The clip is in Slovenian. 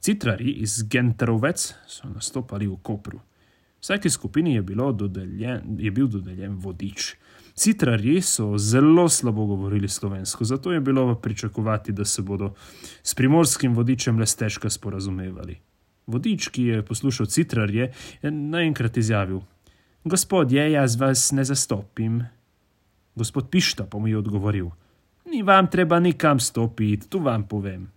Citrarji iz Genterovec so nastopali v Kopru. Vsaki skupini je bil dodeljen vodič. Citrarji so zelo slabo govorili slovensko, zato je bilo pričakovati, da se bodo s primorskim vodičem le stežka sporazumevali. Vodič, ki je poslušal citrarje, je naenkrat izjavil: Gospodje, jaz vas ne zastopim. Gospod Pišta pa mu je odgovoril: Ni vam treba nikam stopiti, tu vam povem.